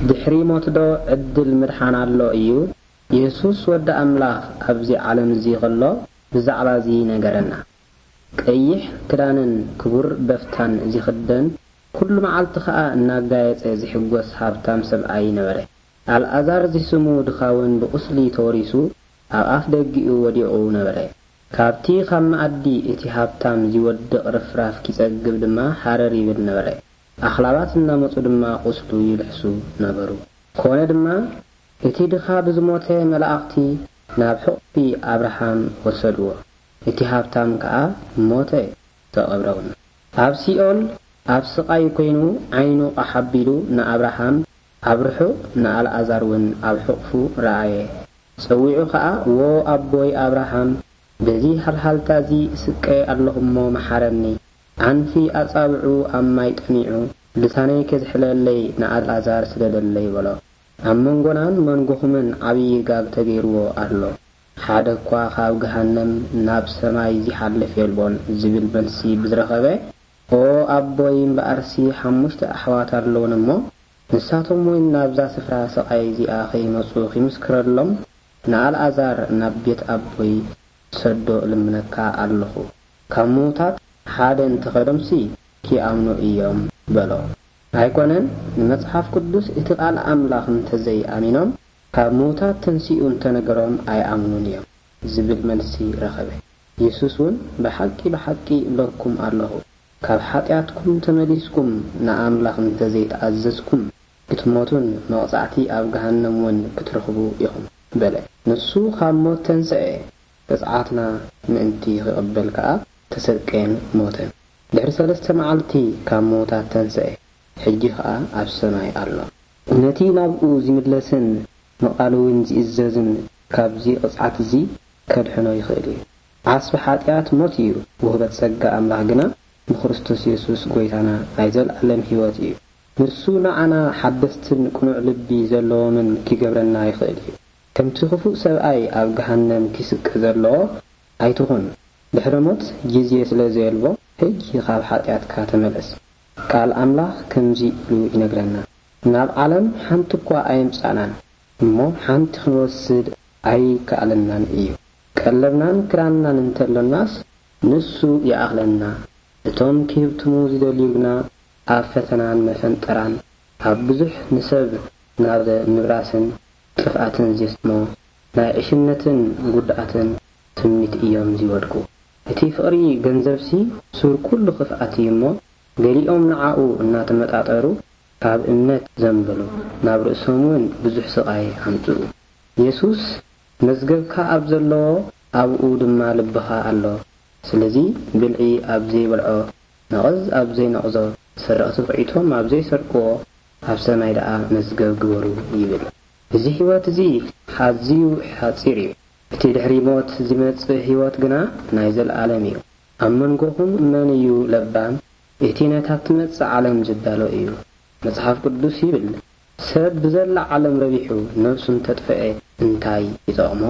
ድሕሪ ሞትዶ ዕድል ምድሓን ኣሎ እዩ? የሱስ ወዲ ኣምላኽ ኣብዚ ዓለም እዚ ኸሎ ብዛዕባ እዚ ነገረና። ቀይሕ ክዳንን ክቡር በፍታን ዚኽደን፣ ኩሉ መዓልቲ ኸኣ እናጋየጸ ዚሕጎስ ሃብታም ሰብኣይ ነበረ። ኣልኣዛር ዚስሙ ድኻ እውን ብቑስሊ ተወሪሱ ኣብ ኣፍ ደጊኡ ወዲቑ ነበረ። ካብቲ ኻብ መኣዲ እቲ ሃብታም ዚወድቕ ርፍራፍ ኪጸግብ ድማ ሃረር ይብል ነበረ። ኣኽላባት እናመጹ ድማ ቁስሉ ይልሕሱ ነበሩ። ኮነ ድማ፣ እቲ ድኻ ብዝሞተ መላእኽቲ ናብ ሕቑፊ ኣብርሃም ወሰድዎ። እቲ ሃብታም ከኣ ሞተ፣ ተቐብረ እውን። ኣብ ሲኦል ኣብ ስቓይ ኮይኑ ዓይኑ ቃሕ ኣቢሉ ንኣብርሃም ኣብ ርሑቕ ንኣልኣዛር እውን ኣብ ሕቑፉ ረኣየ። ጸዊዑ ኸኣ፣ "ዎ ኣቦይ ኣብርሃም፣ በዚ ሃልሃልታ እዚ እስቀ ኣለኹ እሞ መሓረኒ። ዓንፊ ኣጻብዑ ኣብ ማይ ጠሚዑ፣ ልሳነይ ኬዝሕለለይ ንኣልኣዛር ስደደለይ" በሎ። ኣብ መንጎናን መንጎኹምን ዓብዪ ጋግ ተገይርዎ ኣሎ። ሓደ እኳ ካብ ገሃነም ናብ ሰማይ ዚሓልፍ የልቦን ዝብል መልሲ ብዝረኸበ፣ "ኦ ኣቦይ፣ እምበኣርሲ ሓሙሽተ ኣሕዋት ኣለዉኒ እሞ፣ ንሳቶም እውን ናብዛ ስፍራ ስቓይ እዚኣ ኸይመጹ ኺምስክረሎም፣ ንኣልኣዛር ናብ ቤት ኣቦይ ሰዶ እልምነካ ኣለኹ። ካብ ምዉታት ሓደ እንተ ኸደምሲ ኪኣምኑ እዮም" በሎ። ኣይኮነን፣ ንመጽሓፍ ቅዱስ እቲ ቃል ኣምላኽ እንተ ዘይኣሚኖም፣ ካብ ምዉታት ተንሲኡ እንተ ነገሮም ኣይኣምኑን እዮም ዝብል መልሲ ረኸበ። የሱስ እውን፣ "ብሓቂ፣ ብሓቂ እብለኩም ኣለኹ፣ ካብ ሓጢኣትኩም ተመሊስኩም ንኣምላኽ እንተ ዘይተኣዘዝኩም፣ ክትሞቱን መቕጻዕቲ ኣብ ገሃነም እውን ክትረኽቡ ኢኹም" በለ። ንሱ ካብ ሞት ተንስኤ፣ ቅጽዓትና ምእንቲ ኺቕበል ከኣ ተሰቀየን ሞተን። ድሕሪ ሰለስተ መዓልቲ ካብ ምዉታት ተንስኤ፣ ሕጂ ኸኣ ኣብ ሰማይ ኣሎ። ነቲ ናብኡ ዚምለስን ንቓሉ እውን ዚእዘዝን ካብዚ ቅጽዓት እዚ ከድሕኖ ይኽእል እዩ። ዓስቢ ሓጢኣት ሞት እዩ፣ ውህበት ጸጋ ኣምላኽ ግና ብክርስቶስ የሱስ ጐይታና ናይ ዘለኣለም ህይወት እዩ። ንሱ ንዓና ሓደስትን ቅኑዕ ልቢ ዘለዎምን ኪገብረና ይኽእል እዩ። ከምቲ ክፉእ ሰብኣይ ኣብ ገሃነም ኪስቀ ዘለዎ ኣይትኹን። ድሕሪ ሞት ግዜ ስለ ዘየልቦ፣ ሕጂ ኻብ ሓጢኣትካ ተመለስ። ቃል ኣምላኽ ከምዚ ኢሉ ይነግረና፣ "ናብ ዓለም ሓንቲ እኳ ኣየምጻእናን፣ እሞ ሓንቲ ክንወስድ ኣይከኣለናን እዩ። ቀለብናን ክዳንናን እንተሎናስ፣ ንሱ ይኣኽለና። እቶም ኪህብትሙ ዚደልዩ ግና ኣብ ፈተናን መፈንጠራን፣ ኣብ ብዙሕ ንሰብ ናብ ምብራስን ጥፍኣትን ዜስጥሞ ናይ ዕሽነትን ጉድኣትን ትምኒት እዮም ዚወድቁ። እቲ ፍቕሪ ገንዘብሲ ሱር ኩሉ ኽፍኣት እዩ እሞ፣ ገሊኦም ንዓኡ እናተመጣጠሩ ካብ እምነት ዘንበሉ፣ ናብ ርእሶም እውን ብዙሕ ስቓይ ኣምጽኡ።" የሱስ፣ "መዝገብካ ኣብ ዘለዎ፣ ኣብኡ ድማ ልብኻ ኣሎ። ስለዚ ብልዒ ኣብ ዘይበልዖ፣ ነቐዝ ኣብ ዘይነቕዞ፣ ሰረቕቲ ኹዒቶም ኣብ ዘይሰርቅዎ፣ ኣብ ሰማይ ደኣ መዝገብ ግበሩ" ይብል። እዚ ህይወት እዚ ኣዝዩ ሓጺር እዩ። እቲ ድሕሪ ሞት ዚመጽእ ህይወት ግና ናይ ዘለኣለም እዩ። ኣብ መንጎኹም መን እዩ ለባም? እቲ ነታ እትመጽእ ዓለም ዝዳሎ እዩ። መጽሓፍ ቅዱስ ይብል፣ "ሰብ ብዘላ ዓለም ረቢሑ ነብሱ እንተጥፍኤ እንታይ ይጠቕሞ?"